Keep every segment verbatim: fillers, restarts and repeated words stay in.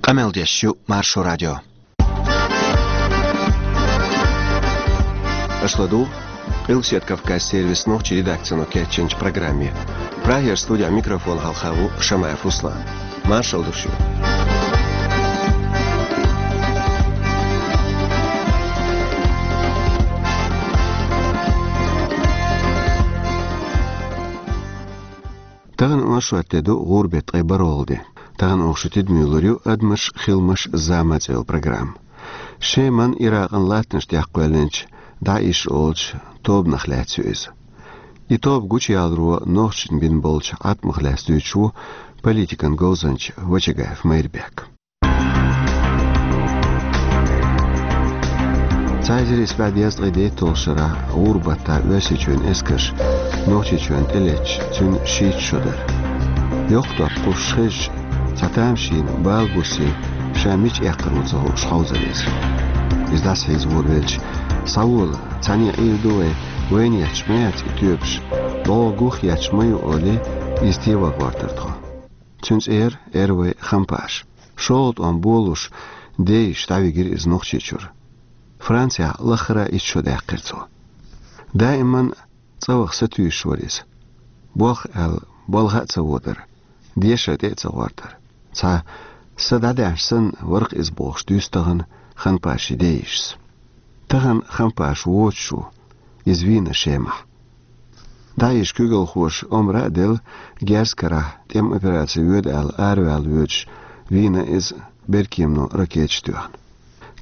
Къамел деш ю Маршо радио. Аша ладугӀу Къилбаседа Кавказан сервисан нохчийн редакцино кечйинчу программе. Прагера студехь микрофон хьалха ву Шамаев Руслан. Маршалла ду шуьга. Тахана оршот де ду, гӀуран беттан ткъе бархӀалгӀа де. Тахана оха шун тидаме лур ю «Адамаш, хиламаш, зама» цӀе йолу программа. Шеман, Иракъан латтанаш тӀехь кхоьллинчу ДАИШ олучу тобанах лаьцна ю иза. И тоба гучуяларо нохчашна бина болчу Ӏаткъамах лаьцна дуьйцуш ву политикан говзанча Вачагаев Майрбек. Цхьа эзар исс бӀе дезткъе дейтталгӀачу шарахь гӀуран баттахь Оьрсийчоьнан эскарша Нохчийчоьнна тӀелетташ цуьнан шийтта шо дара. Йоккха топ кхуссуш хезча, цхьа тамашийна бала бусе ша мича эккхар ву ца хууш хьовзара иза. Иза дӀасахьийзавора велча: «Схьавола, цхьаьна Ӏийр ду вай, вайна етташ ма яц и тоьпаш, бӀогӀа гух етташ ма ю», — олий, иза теван гӀортара тхо. Цуьнан цӀе яра Эрве Хампаш. ШолгӀа тӀом болуш, дейиша дӀавигира иза Нохчийчуьра. Францехь лаххара итт шо даьккхира цо. Даиман цӀа ваха сатуьйсуш вара иза. Болх аьлла, балха а ца водара, дешар тӀе а ца гӀортара. Цхьа са дӀадаьхьча санна вара-кх иза, бохуш дуьйцу тахана Хампашин дейишас. Тахана Хампаш воцуш ву, иза вийна Шемахь. ДАИШ куьйгалхоша омра а делла, герз карахь тӀеман операци воьду аьлла араваьлла воьдуш, вийна иза беркемано ракеташ тоьхна.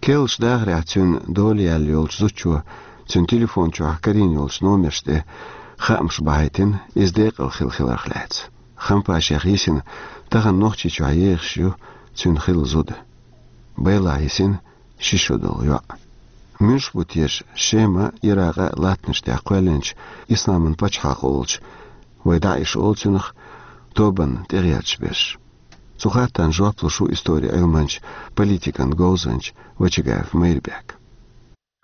Керлачу дахарехь цуьнан дола яьлла йолчу зудчо цуьнан телефон чохь карийна йолчу номерш тӀе хаамаш бахьийтина, иза декъала хилла хиларх лаьцна. Хампашех йисина тахана Нохчийчохь ехаш ю цуьнан хилла зуда. Байлахь йисина ши шо долу йоӀ. Муьлш бу теша Шема, Иракъа латтанаш тӀехь кхоьллинчу Исламан пачхьалкх олучу, вай ДАИШ олу цунах, тобанна тӀегӀерташ берш? Цу хаттарна жоп луш ву историн Ӏилманча, политикан говзанча Вачагаев Майрбек.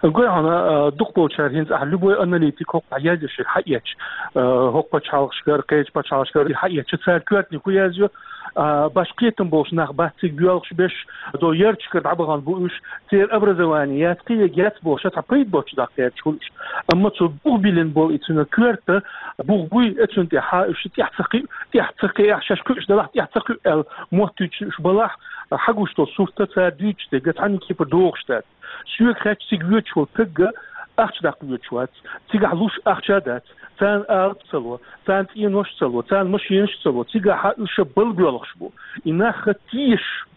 Гой хьуна, а, дукхахболчара хӀинца ахь любой аналитик хӀокху язъеш хьаэцча, а, хӀокху пачхьалкхашкара, кхечу пачхьалкхашкара хьаэцча, цара коьртаниг хӀун язйо, а, баш кхетам болуш нах бац цига боьлхуш берш, до ярташкара дӀабахана бу уьш, церан образование яц, кхин яц бохуш, цхьа пайда боцуш даккха гӀерташ хуьлу уьш. Амма цо бух биллина болу и цуьнан коьрта бух буй, оцунна тӀехьа уьш тӀаьхьа ца кхиъ-, тӀаьхьа ца кхиъ-, ахь шаьш кхуьуш делахь, тӀаьхьа ца кхуьу аьлла, моттуьйтуш уьш балахь, хьагуш долу сурт цара дуьйцуш дерг цхьанна кепара догӀуш дац. Соьга хаьттича, цига воьдуш волу стаг ахча даккха воьдуш вац, цигахь луш ахча а дац, царна алапа ца ло, царна цӀенош а ца ло, царна машенаш а ца ло, цигахь уьш бала боьлхуш бу. И нах тешаш,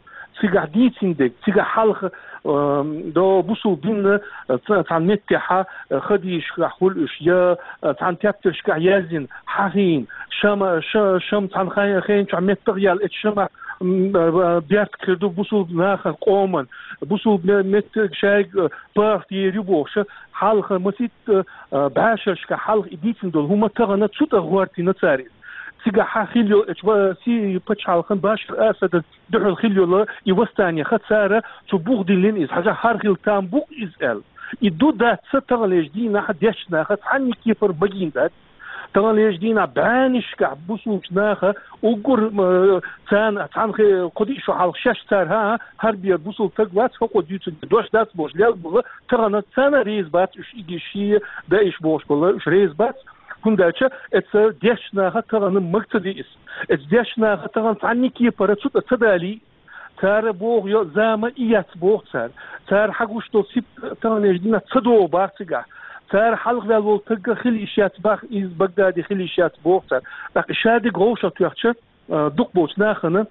цигахь дийцина дерг, цигахь хьалха, эм, до бусул динна, э, ца-, цхьана меттехьа, э, хадийшкахь хуьлу уьш, я, э, цхьана тептаршкахь яздина, хьахийна, шама, ша-, шам цхьана хай-, хенчохь меттах яьлла, эцу шамахь, м, э, э, беркат хир ду бусул нахана, къоман, бусул ме-, меттиг шайга, э, паргӀат ер ю бохуша, хьалха масийтта, а, бӀешерашкахь хьалха и дийцина долу хӀума тахана цу тӀа гӀортийна цара иза. Цигахь хьан хила йолу, эцу ва-, си-, пачхьалкхан Башар Асадан дуьхьал хила йолу и восстание ха цара цу бух диллина иза. Хьажа, хӀара хила там бу иза аьлла. И ду дац ца таханлерчу дийнахь дешначу наха цхьанна кепара магийна дац. Таханлерчу дийнахь бӀеннашкахь бусулчу наха уггар, м, царна цхьана хе-, кху диъ шо хьалха шаьш цара, хӀан, хӀара бер бусул стаг вац, хӀокхо дуьйцург дош дац бохуш лелла була, тахана царна реза бац уьш, иги ши даиш бохуш бала уьш реза бац, хӀунда аьлча эца дешначу наха тахана мага ца диъ иза. Эца дешначу наха тахана цхьанна кепара цу тӀа ца далий, цара боху йо, зама и яц боху цара. Цара хьагуш долу сип таханлерчу дийнахь ца догӀу бах цигахь. Цара хьалха ваьлла волу тагга хила йиш яц бах, иза Багдади хила йиш яц боху цара. ТӀаккха ша дерг вовшах тоьхча, а, дукхаболчу нахана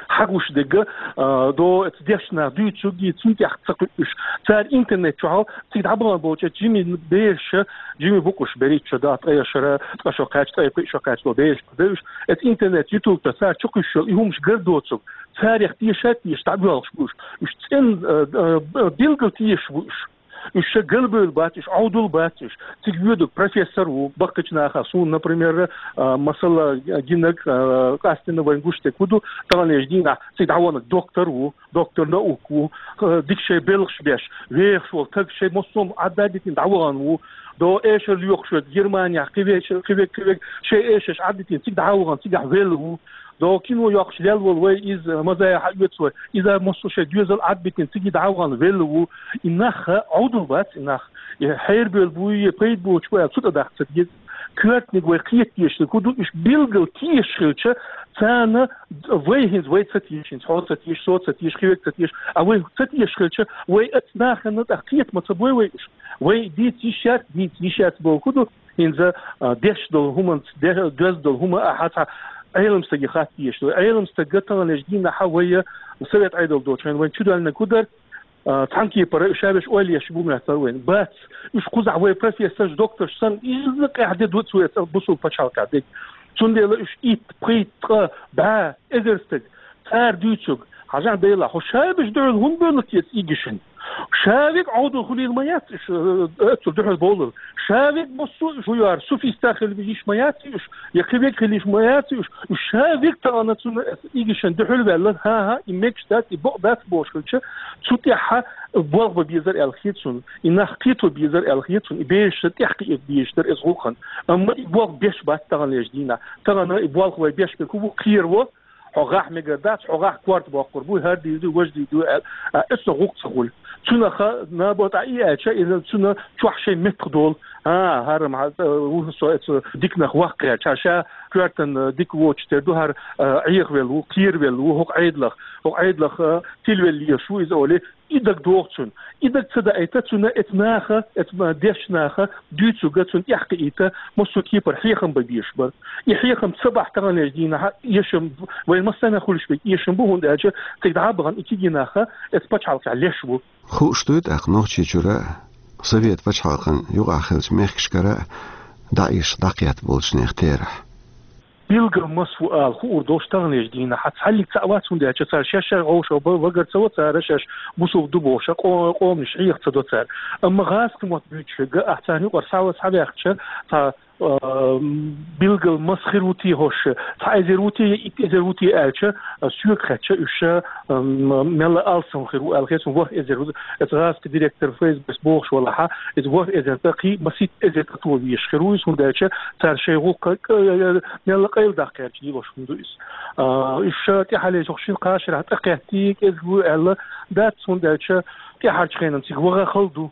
хьагуш дерг, а, до эца дешначу наха дуьйцург, и цунна тӀехь ца кхуьу уьш. Цара интернет чохь цига дӀабахана болчу Джимми бераша, Джимми бу-кх уьш берхӀитта шо, да, ткъе шара, ткъа шо кхаьчча, ткъе кхоъ шо кхаьчча болу бераш бу уьш. Эца интернет, ютуб чохь цара чукхуьссуш йолу и хӀумаш гар доцург. Царех теша а тешаш дӀабоьлхуш бу уьш. Уьш цӀена, э, э, билггал тешаш бу уьш. Уьш ша галбевлла бац уьш, Ӏовдал бац уьш. Цига воьдург профессор ву, баккхийчу наха, суна, например, э, масала гинарг, э, къаьстина вайн гуш дерг хӀун ду, таханлерчу дийнахь цига дӀаваханарг доктор ву, доктор наук ву, э, дика шайн белхаш беш, вехаш волу таг шайн массо а Ӏадда а дитина дӀавахана ву, до эшар лоькхуш верг Германехь, кхин веша-, кхин верг, кхин верг шайн эшарш Ӏадда дитина цига дӀавахана, цигахь велла ву. Догу кино йоккхуш лел волу вай, иза маза яхьа оьцу вай. Иза массо шайн доьзал Ӏадбитина цига дӀавахана велла ву. И нах Ӏовдал бац, и нах. И хьерабевлла буй, я пайда боцуш буй аьлла, цу тӀе даха ца деза. Коьртаниг вай кхета дезаш хӀун ду, уьш билггал тешаш хилча, царна вай хӀинца, вай ца теша, хӀинца хьо ца теша, со ца теша, хи верг ца теша, а вай ца тешаш хилча, вай оцу нахана тӀаккха кхета ма ца бой вай уьш. Вай дийца йиш яц, дийца йиш яц боху хӀун ду, хӀинца, а, деш долу хӀуманца, де-, доьзна долу хӀума ахьа цхьа Ӏелам стаге хатта дезаш ду. Ӏелам стаг таханлерчу дийнахьа вай Совет Ӏедал долчу хенахь вайн чудоьллинарг хӀун дара, а, цхьана кепара уьш ша веш ойла еш бу моьттура вайн. Бац, уьш кхузахь вай профессорш, докторш санна, иза къаьхьа де ду цу эца бусулба пачхьалкхехь дерг. Цундела уьш итт, пхийтта, ткъа, бӀе, эзар стаг, цара дуьйцург, хьажахь, Дела, хьо шайбаш дуьхьал хӀунда бевлла те иза игишина? Ша вега Ӏовдал хуьлийла ма яц уьш, э, оццул дуьхьал бовлал. Ша вега массо а уьш вуьйр, суфиста хила йиш ма яц уьш, я кхин вега хила йиш ма яц уьш. Уьш ша вега тахана цунна игишина дуьхьал ваьлла, хӀан-хӀа, и мегаш дац, и бакъ дац бохуш хилча, цу тӀехьа болх бан безар аьлла хета суна. И нах кхето безар аьлла хета суна. И бераш тӀехь кхиийта безаш дара иза гӀуллакхан. Амма и болх беш бац таханлерчу дийнахь. Тахана и болх вай беш берг хӀун бу, кхераво, хьо гӀахь мегар дац, хьо гӀахь корта боккхур бу, хӀара дийр ду, важа дийр ду аьлла, а, эцна гӀуллакх ца хуьлу. Цунах набо тӀе и аьлча, иза цунна чохь шайн меттах долу. А, хӀара ма, э, ву со эца дика нах ваккха аьлча, ша коьртан, э, дика воцуш тера ду, хӀара, э, Ӏехавелла ву, кхеравелла ву, хӀокху Ӏедалах, хӀокху Ӏедалах, э, тилвелла езаш ву иза олий, и даг догӀу цунна. И даг ца даийта, цунна эца наха, эца, м-, дешчу наха дуьйцург цунна тӀехь кхиийта, массо а кепара хьехам бан безаш бара. И хьехам ца бахь таханлерчу дийнахьа эшам, вайн массарна хуьлуш берг эшам бу, хӀунда аьлча цига дӀа а бахана и кегий наха эца пачхьалкхехь леш бу. Хууш дуй тӀаккха Нохчийчуьра а, Совет пачхьалкхан юкъахь хиллачу мехкашкара а дӀаийша дӀакхетта болчу нехан терахь? Билггал маса ву ала хуур долуш таханлерчу дийнахьа цхьаллиг цхьаъ вац, хӀунда аьлча цара шаьш-шаьш вовшах ба-, вагар ца во, цара шаьш бусулба ду бохуш, къо-, къоманаш хьеха ца до цара. Амма гӀазкхийн мотт буьйцуш верг, ахь царна юкъара схьа-, схьаваьхча, цхьа, а, билггал маса хир ву те хӀорш, цхьа эзар ву те, итт эзар ву те аьлча, а, соьга хаьттича, уьш, а, м-, мелла алсам хир ву аьлла хета суна, ворхӀ эзар ву. Эца гӀазкхийн директор ФСБ-с бохуш валахьа, иза ворхӀ эзар тӀе кхин, масийтта эзар тӀе товш хир ву иза, хӀунда аьлча цара шайн гӀуллакх, э, мелла къайладаккха гӀерташ лелош хӀума ду иза. А, уьш тӀаьхьале чохь шина кхаа шарахь тӀекхеттий, кӀезиг ву аьлла дац, хӀунда аьлча тӀаьхьарчу хенан цига ваха хала ду,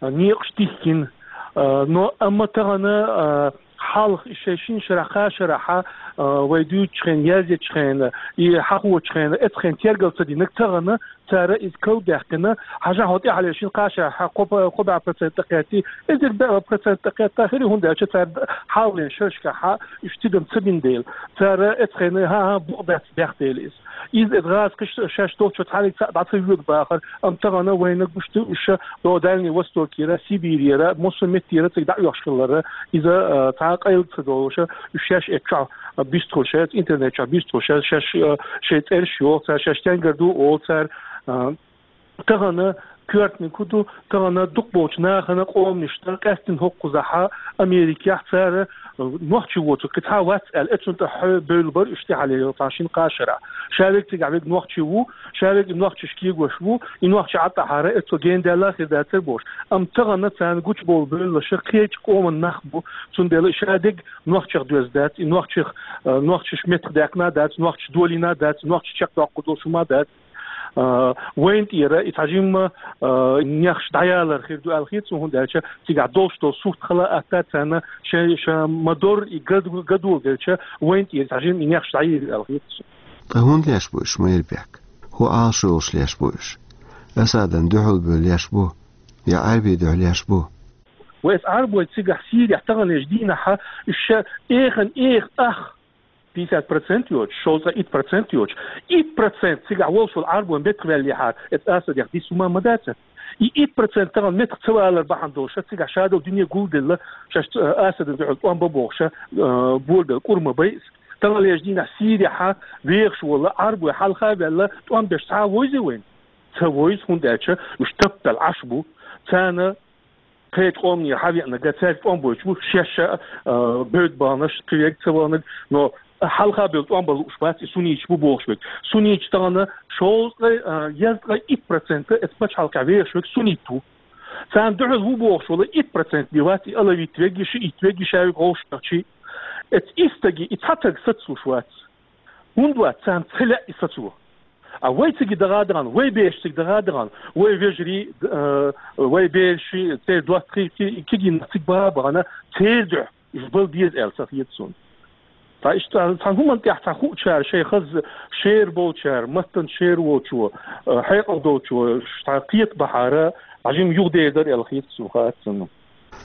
а, некъаш дихкина. А, но амма тахана, а, хьалха и шайн шина шарахь, кхаа шарахьа, а, вай дуьйцучу хенан, яздечу хенан, и хьахочу хенан, эцу хенан тергал ца динарг тахана, цара иза калдаьккхина, хьажахь, хьо тӀаьхьале шина кхаа шарахь кхо-, кхо бӀе процент тӀекхеттий, эзар бӀе процент тӀекхетта хир ю, хӀунда аьлча цара д-, хьалхалера шерашкахьа уьш тидам ца бина дела. Цара эцу хенан, хӀан-хӀа, бакъ дац бехк дела иза. Иза эца гӀазкхаша шаьш долччо цхьаьнниг цхьаъ дӀа ца воьду бахара, амма тахана вайна гуш ду уьш до Дальний Востокера, Сибирера, массо а меттера цига дӀайохуш хиларна, иза, а, цхьа а къайла ца долуша, уьш шаьш эцу чохь бистхуьлуш, интернет чохь бистхуьлуш, шаьш, а, шайн цӀераш йоху цара, шаьш стенгара ду олу цара, а, тахана коьртаниг хӀун ду, тахана дукхахболчу нахана, къоманашна къаьстина хӀокхузахьа Америкехь цара, а, нохчи воцург кхин цхьа а вац аьлла, эцунна тӀе хьо-, бевлла бара уьш тӀаьхьале цхьана шина кхаа шарахь. Ша верг цигахь верг нохчи ву, ша верг и нохчаш кегош ву, и нохчи Ӏа тӀаьхьара эцо гендаьлла хир дацара бохуш. Амма тахана царна гучубовла бевллаша кхечу къоман нах бу, цундела и ша дерг нохчех доьзна дац, и нохчех, а, нохчаш меттах даьккхина дац, нохчаш долийна дац, нохчаш чекхдоккхур долуш хӀума дац. А, вайна тӀера и цхьа жимма, а, нехаш дӀаялар хир ду аьлла хета суна, хӀунда аьлча цигахь долуш долу сурт хала а атта царна шайн, шайн ма-дарра и гад-, гадолделча, вайна тӀера цхьа жимма и нехаш дӀайийр ю аьлла хета суна. Ткъа хӀунда леш бу уьш, Майрбек? ХӀун Ӏалашо йолуш леш бу уьш? Асадан дуьхьал бевлла леш бу? Я Ӏарбийн дуьхьал леш бу? Вай эца Ӏарбой цигахь Сирехь таханлерчу дийнахьа уьш ша эхан эха ах, пятьдесят процент йоцуш, шовзткъе итт процент йоцуш, итт процент цигахь волуш волу Ӏарбой меттахваьллехьара, эца Асадех дисума ма дацара. И итт процент тахана меттах ца валар бахьана долуш, ша цигахь шадолу дуьне гулделла, шаьш, э, Асадан дуьхьал тӀом бан бохуш, э, болабелла кӀур ма бай иза. Таханлерчу дийнахь Сирехьа вехаш волу Ӏарбой хьалха а ваьлла, тӀом беш цхьа а вовзий вайна? Ца вовзу, хӀунда аьлча уьш таппел Ӏаш бу. Царна кхечу къоманера хьавеанарг, цаьрга тӀом бойтуш бу, шаьш а, а, бевдда баханарш, кхин верг ца баханарг, но хьалха а бевлла тӀом бан лууш бац, и сунниташ бу бохуш верг. Сунниташ тахана шовзткъе, а, езткъе итт процент эца пачхьалкхехь вехаш верг суннит ву. Царна дуьхьал ву бохуш волу итт процент бен вац, и алавит верг, и шиит верг, и ша верг вовшахчий. Эца и стаге и цхьа стаг сацалуш вац. ХӀунда вац, царна ца лаьа и сацо. А вай цига дагӀа а дахана, вай бераш цига дагӀа а дахана, вай вежарий, э, вай бераши, церан доттагӀий, ки-, кегий нах цига багӀа а бахана, церан дуьхьа уж бала беза аьлла ца хета сона. Ткъа иштта цхьан хӀуманна тӀехь цхьа хуучара, шайн хаза шера болчара, маттана шера волчо, э, хьекъал долчо, цхьа кхета бахьара, хьажим юха дер дара аьлла хета сона, хац санна.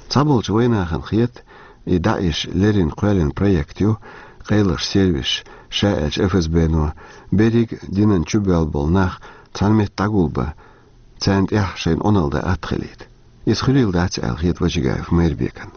Цхьаболчу вайнахана хета, и дӀаэш леррина кхоьллина проект ю, къайлахчу сервисаша, ша аьлча ФСБ-но, берриг а динан чу боьлла болу нах цхьана метта дӀагулбан, царна тӀехь шайна Ӏуналла дан атта хилийта. Иза хуьлийла дац аьлла хета Вачагаев Майрбекана.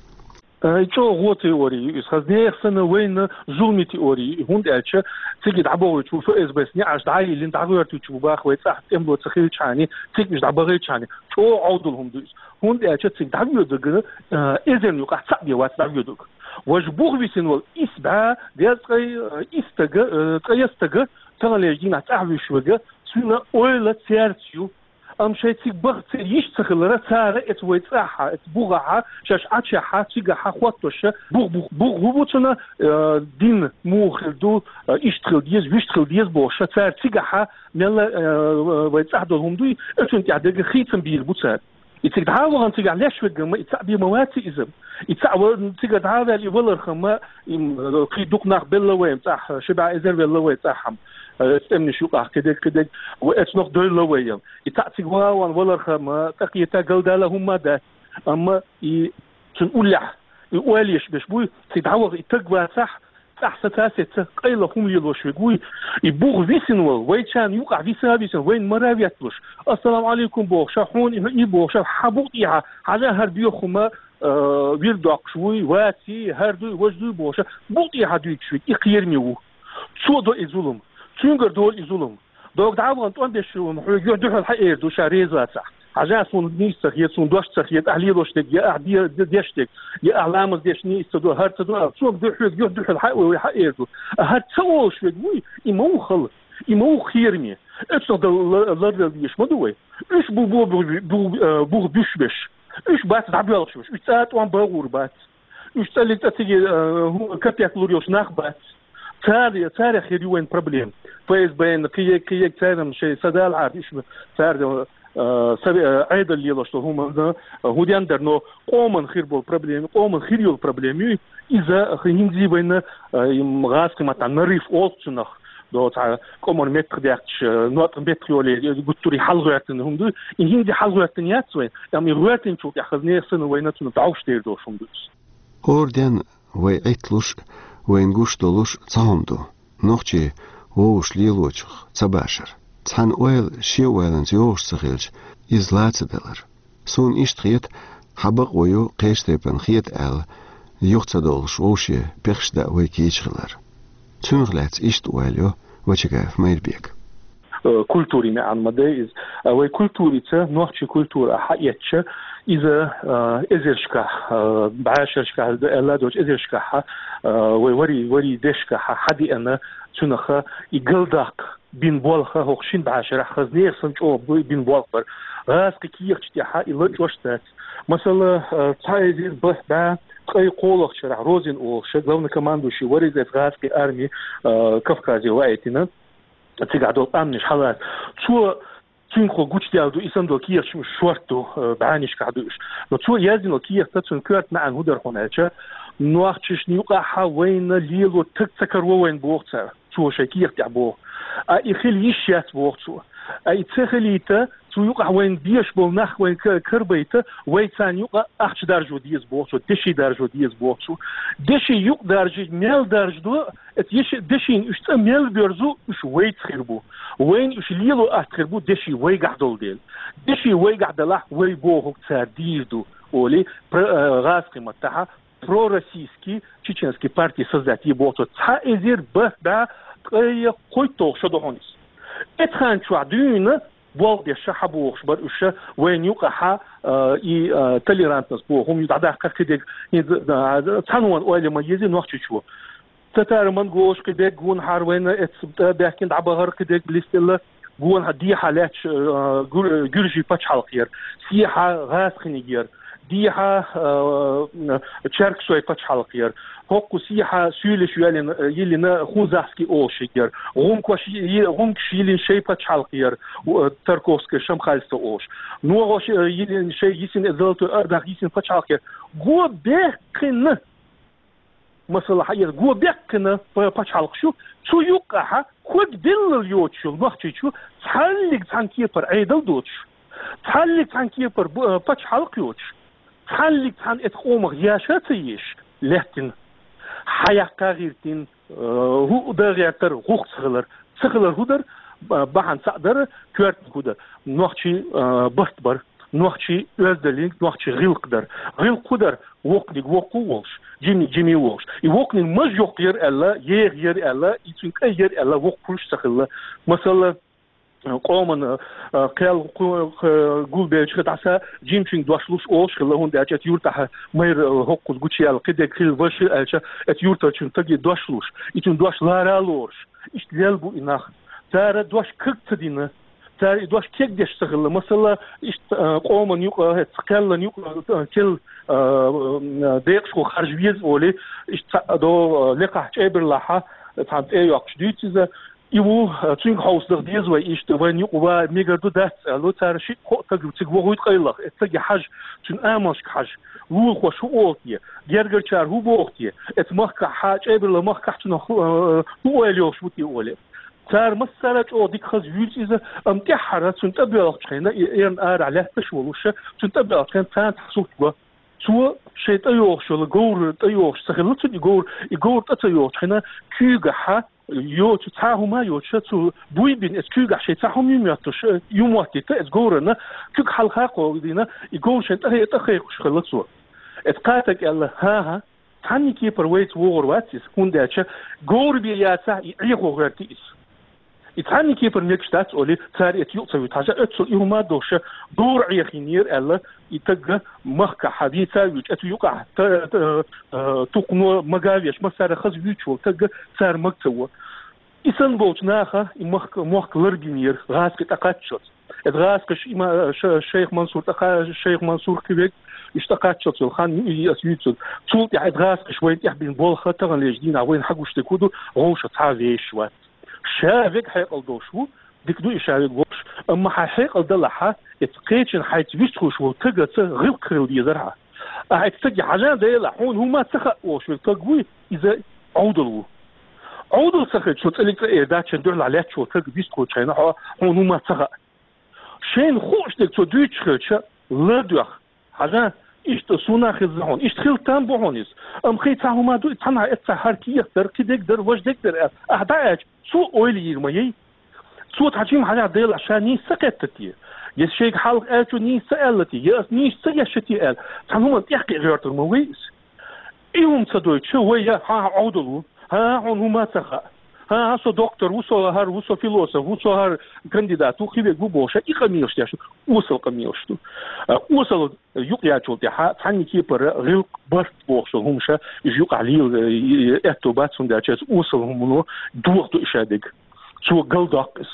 Ай, чӀогӀа гӀо теори ю иза. Хаза нехан санна вайна зуламе теори ю, хӀунда аьлча цига дӀабохуьйтуш бу ФСБ-с неӀарш дӀа а йиллина, дӀагӀоьртуьйтуш бу боху вай цӀахь тӀемало ца хилчхьана, цига уьш дӀабахийтчхьана, чӀогӀа Ӏовдал хӀума ду иза. ХӀунда аьлча цига дӀавоьдург, э, эзарна юкъахь цхьаъ бен вац дӀавоьдург. Важа бух висина волу исс бӀе дезткъе, э, исс стаг, э, ткъе исс стаг, таханлерчу дийнахь цӀахь вуьйш верг, цуьнан ойла цаьрца ю. Амма шайн цига баха церан йиш ца хиларна, цара эца вай цӀахь, эца бухахь, шаьш Ӏачохь, цигахь хӀоттош, бух, бух, бух хӀун бу цуьнан, э, дин муха хила ду, э, иштта хила деза, вуьшта хила деза бохуш, цара цигахь мелла, э, вай цӀахь долу хӀума дуй, оцунна тӀехь дерг хийцам бийр бу цара. И цига дӀа а вахана, цигахь леш верг-м, и цхьаъ бен ма вац иза. И цхьаъ ва-, цига дӀа а ваьлла, и валарх-м, и, м, кхин дукха нах белла вай-м цӀахь, ши бӀе эзар велла вай цӀахь-м, э, тӀемнаш юкъахь кхидерг, кхидерг, ва эцнах девлла вай-м. И цхьаъ цига ван-ван валарх-м, тӀекхета галдала хӀумма а дац. Амма и цуьнан уллехь, и ойла еш берш буй, цига дӀаваха и таг вацахь, цӀахь саца а сеца, къайлаха хӀума лелош верг вуй, и бух висина волу, вайчарна юкъахь виса а висина, вайна мара а ветталуш, «Ассаламу Ӏалайкум», бохуш, «Хьуна и, и», бохуш, хьан букъ тӀехьа, хьажа хӀара доьху хӀума, э, вир доккхуш вуй, вац и, хӀара дуй, важа дуй, бохуш, букъ тӀехьа дуьйцуш верг, и кхераме ву. Цо до и зулам. Цуьнгара долу и зулам. Догу дӀа а вахана, тӀом беш ву, хьоьга юьхь-дуьхьал хьаэр ду, ша реза вацахь. Хьажа, суна нийса ца хета, суна дош ца хета, ахь лелош дерг, я ахь де-, де-, деш дерг, я ахь ламаз деш нийса ца до, хӀара ца до, цо хьоьга юьхь-дуьхьал хьа-, хьаэр ду. А хӀара ца олуш верг вуй, и ма ву хала, и ма ву кхераме. Оцунах дан ла-, лардала дезаш ма ду вай. Уьш бу, бу, бу, бу, э, бух буьш беш. Уьш бац дӀабоьлхуш беш. Уьш цӀа тӀом багӀур бац. Уьш цӀаллиг цӀа цига, э, хӀу-, капек лур йолуш нах бац. Цара, царех хир ю вайн проблема. ФСБ-н, кхиег, кхиег царам шайн са далахьара, уьш цара, э, са, э, Ӏедал лелош долу хӀуманна, э, хӀун ден дара, но къоман хир болу проблема, къоман хир йолу проблема ю, иза хӀинца вайна, э, им гӀазкхийн маттахь нарыв олу цунах, до цхьа комар меттах даьккхича, э, нотӀа меттах йоле, э, гуттарий хьалагӀоьртина хӀума ду, и хӀинца хьалагӀоьртина яц вайн, амма и гӀоьртинчул тӀехь хаза нехан санна вайна цунах дӀовш дер долуш хӀума ду иза. ХӀора ден вай Ӏитталуш, вайна гуш долуш цхьа хӀума ду. Нохчий вовшаш лелочух ца башар. Цхьана ойла шен ойланца йогӀуш ца хилча, иза ла ца далар. Суна иштта хета, хьан бакъо ю, кхечу тайпана хета аьлла, юха ца долуш вовше пехаш даа вай кийча хилар. Цунах лаьцна иштта ойла йо Вачагаев Майрбека. Э, культурин маьӀна ма дай иза. А вай культурица, нохчийн культура ахьа эцча, иза, э, эзаршкахь, э, бӀешерашкахь, аьлла доцу эзаршкахь, э, вай вари, вари дешкахь хьадеана, цунаха и галдаккха бина болх, хӀокху шина бӀешарахь хаза нехан санна чӀогӀа бу-, бина болх бара. ГӀазкхийн кехаташ тӀехь и лачкъош дац. Масала, э, цхьа эзар бархӀ бӀе ткъе кхоалгӀачу шарахь Розин олуш, главнокомандующий вара иза, гӀазкхийн арми, э, Кавказе ваийтина. Цигахь долу къаьмнаш хьалаца. Цо цуьнгахула гучудаьлла ду, и санна долу кехаташ шорта ду, э, бӀеннашкахь ду уьш. Но цо яздина кехат, цуьнан коьрта маьӀна хӀун дара хьуна аьлча, нохчашна юкъахь вайна лело таг ца караво вайна боху цара. Цо шайн кехат тӀехь боху. А и хила йиш яц боху цо. А и ца хилийта, цу юкъахь вайна безаш болу нах вайна ка-, карабайта, вай царна юкъа ахча даржо деза боху цо, деши даржо деза боху цо. Деши юкъа даржий мел даржадо, эцу еши-, дешина уьш цӀа мел боьрзу, уьш вайца хир бу. Вайна уьш лело атта хир бу, деши вайгахь долу дела. Деши вайгахь далахь, вай бохург цара дийр ду, олий, про-, э, гӀазкхийн маттахь, пророссийский чеченский партия создать е боху цо. Цхьа эзар бархӀ бӀе ткъе кхойтталгӀа шо ду хьуна иза. Эцу хан чохь дуьйна болх беш хьабохуш бара уьш, вайна юкъахь, э, и, э, толерантность боху хӀума ю дӀадаккхар кхидерг, хӀинца, э, цхьанонан ойла ма еза нохчичо. Татар-монголаш кхидерг гонахьара вайна эцу тӀе баьхкина дӀабахар кхидерг листелла, гонахьа дехьа лаьтташ, э, гур-, гуьржийн пачхьалкх яра, сехьа гӀазкхиниг яра, дехьа, э, Чарксой пачхьалкх яра, хӀокху сехьа суьйлаш йоьллина, э, йиллина Хунзахский олуш яр. ГӀумкаш йи-, гӀумкаш йиллина шайн пачхьалкх яр, э, Тарковское, Шамхальство олуш. НогӀош, э, йиллина шайн йисина, Золотой Ордах йисина пачхьалкх яр. Го баьккхина, масала, хьаэца, го баьккхина па-, пачхьалкхаш ю, цу юккъехь ког деллал йоцуш йолу нохчийчу цхьаллиг цхьана кепара Ӏедал доцуш, цхьаллиг цхьана кепара бу-, э, пачхьалкх йоцуш, цхьаллиг цхьана эцу къомах яша а ца езаш, лаьттина, хьаяккха гӀиртина, э, хӀу дан гӀертар, гӀуллакх ца хилар. Ца хилар хӀун дара? Б-, бахьана цхьаъ дара, коьртаниг хӀун дара? Нохчийн, э, барт бара. Нохчийн оьздангаллиг, нохчийн гӀиллакх дара. ГӀиллакх хӀун дара? Воккханиг воккха а волуш, жиманиг жима а волуш. И воккханиг маж йоккха яра аьлла, еха яра аьлла, и цуьнан кӀай яра аьлла, воккха хуьлуш ца хилла. Масала, къоман, а, кхел кху-, кх-, гулбеллачу хи дӀаса жимачуьнга дош луш олуш хилла, хӀунда аьлча эцу юьртахь майра, а, хӀокхуза гучуяьлла кхидерг хилла важа аьлча, эцу юьртарчун стаге дош луш, и цуьнан дош лара а лоруш. Иштта лелла бу и нах. Цара дош каг ца дина, цара и дош кегдеш ца хилла. Масала, иштта, а, къоман юкъа, хӀетта кхеллан юкъа, а, кел, а, а, декъашхо харжа веза олий, иштта цхьаъ до, а, лекхахь ЧӀебарлахь, цхьана цӀе йоккхуш дуьйцу иза. И ву, а, цуьнга хьовса даха деза вай иштта, вайна юкъа ван мегар ду, дац аьлла, цара шиъ-кхоъ стаг цига вохуьйту къайлаха, эцу стаге хьажа, цуьнан амалшка хьажа, лулахоша хӀун олу те, гергарчара хӀун боху те, эцу махкахь, ЧӀебарлан махкахь цунах хӀу-, а, хӀун ойла йолуш ву те олий. Цара массара а чӀогӀа дика хаза вуьйцу иза, амма тӀаьххьара цунна тӀебоьлхучу хенахь, и эрна арахь лаьтташ волуш, цунна тӀебоьлхучу хенахь царна цхьа сурт го. Цо шайн тӀейогӀуш йолу говр тӀейогӀуш ца хилла цунна и говр, и говр тӀе ца йогӀучу хенахь куьйгахь йоцу цхьа а хӀума йоцуша, цу буй бина эцу куьйгахь шайн цхьа хӀума ю моьттуш, ю моттийта эцу говрана, куьг хьалха а кховдийна, и говр шайн тӀе, тӀе кхайкхуш хилла цо. Эцу кхаа стага аьлла: «ХӀан-хӀа, цхьанна кепара вайца вогӀур вац иза, хӀунда аьлча говр бен яцахь, и Ӏехо гӀерти иза. И цхьанна кепара мегаш дац», олий, цара эцу юкъа ца вуьту. Хьажа, оццул и хӀума а долуш, говр Ӏехийнера аьлла, и стаг махкахь вийца а вуьйцуш, эцу юкъахь та-, та-, а, тукхано мага а веш, массара хаза вуьйцуш волу стаг цара мага ца во. И санна болчу наха и махка, мохк ларбинера гӀазкхий тӀекхаччалц. Эцу гӀазкхаша и ма-, ша-, шайх Мансур тӀекха-, шайх Мансур кхин верг, уьш тӀекхаччалц йолу хан ю и ас юьйцург. Цул тӀаьхьа эцу гӀазкхаша вайна тӀехь бина болх таханлерчу дийнахь вайна хьагуш дерг хӀун ду, вовшах цхьа а вешаш вац. Ша верг хьекъал долуш ву, дика ду и ша верг волуш, амма хьайн хьекъал далахь, эцу кхечанна хьайца вистхуьлуш волу стагаца гӀиллакх хила дезара хьан. Ахьа эцу стаге хьажа, Дела, хьуна хӀума ца хаьа олуш верг стаг вуй, иза Ӏовдал ву. Ӏовдал ца хилча, цо цӀе лиг цӀа эр дац, шен дуьхьал лаьтташ волу стаг вистхуьлучу хенахь, хьо, хьуна хӀума ца хаьа. Шайна хууш дерг цо дуьйцуш хилча, ладоьгӀу. Хьажа, иштта суна хезна хьуна, иштта хила там бу хьуна иза. Амма хи цхьа хӀума ду, и цхьанхьа эццахь хӀара кехат дара, кхидерг дара, важа дерг дара аьлла. Ахьа дӀа аьлча, цо ойла йийр ма яй. Цо цхьа чим хьажа, Дела, ша нийса ца кхетта те? Я шайга хьалха аьллачо нийса ца аьлла те? Я ас нийса ца еш те аьлла, цхьана хӀуманна тӀехкхиа гӀертар ма вай иза. И хӀума ца дойтуш, вай я, хьан-хьан Ӏовдал ву, хьан-хьан хьуна хӀума ца хаьа, хьан-хьан со доктор ву, со хӀара ву, со философ ву, со хӀара кандидат ву, кхин верг ву бохуш, и къамелаш деш ду, осал къамелаш ду. А, осал юкъ яьллачул тӀаьхьа цхьанна кепара гӀиллакх, барт бохуш долу хӀумнаш, уьш юкъахь лела, э, аьтто бац, хӀунда аьлча иза осал хӀумано дохадо и ша дерг. Цо галдоккху иза.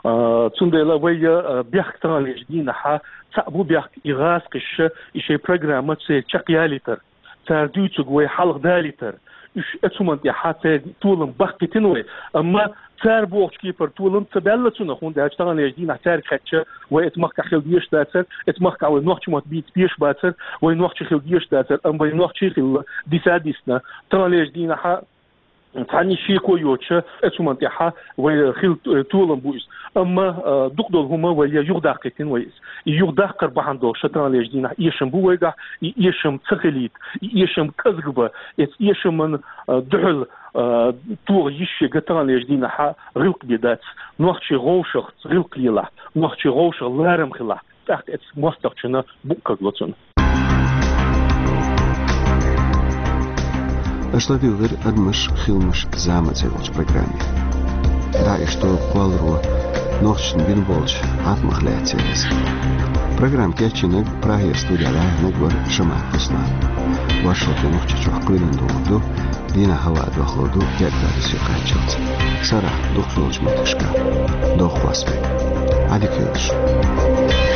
А, цундела вай, а, бехк таханлерчу дийнахь цхьаъ бу бехк, и гӀазкхаша и шайн программа церан чекхъялийтар. Цара дуьйцург вай хьалха далийтар. Уьш эцу хӀуманна тӀехь церан толам баккхийтина вай. Амма цара бохучу кепара толам ца баьлла цунах, хӀунда аьлча таханлерчу дийнахь цаьрга хаьттича, вай эцу махкахь хила дезаш дацара, эцу махкахь вай нохчийн мотт бийца беш бацара, вай нохчий хила дезаш дацара, амма вай нохчий хилла, диса а дисна, таханлерчу дийнахь цхьанна шеко йоцуш, эцу хӀуманна тӀехь вай хила, э, толам бу иза. Амма, э, дукха долу хӀума вай юхадаккхийтина вай иза. И юхадаккхар бахьана долуш таханлерчу дийнахь эшам бу вайгахь, и эшам ца хилийта, и эшам кӀезиг бан, эцу эшаман, э, дуьхьал, э, тоха йиш ерг таханлерчу дийнахь гӀиллакх бен дац. Нохчийн вовшахца гӀиллакх лелахь, нохчийн вовшах ларам хилахь, тӀаккха эцу мостагӀчунна букъ кагло цунна. Аша ладуьйгӀира «Адамаш, хиламаш, зама» цӀе йолчу программе. ДӀа иштта кхолларо нохчашна бина болчу Ӏаткъамах лаьцна яра иза. Программа кечйинарг, Прагера студехь дӀаяьхьнарг вара Шамаев Руслан. Вайшинскехь Нохчийчохь кхоьлина догӀур ду, дийнахь хӀаваъ дохлур ду пхи градусе кхаччалц. Сарахь дукхахйолчу меттигашкахь доху хьоьстуш. Ӏадика йойла шун.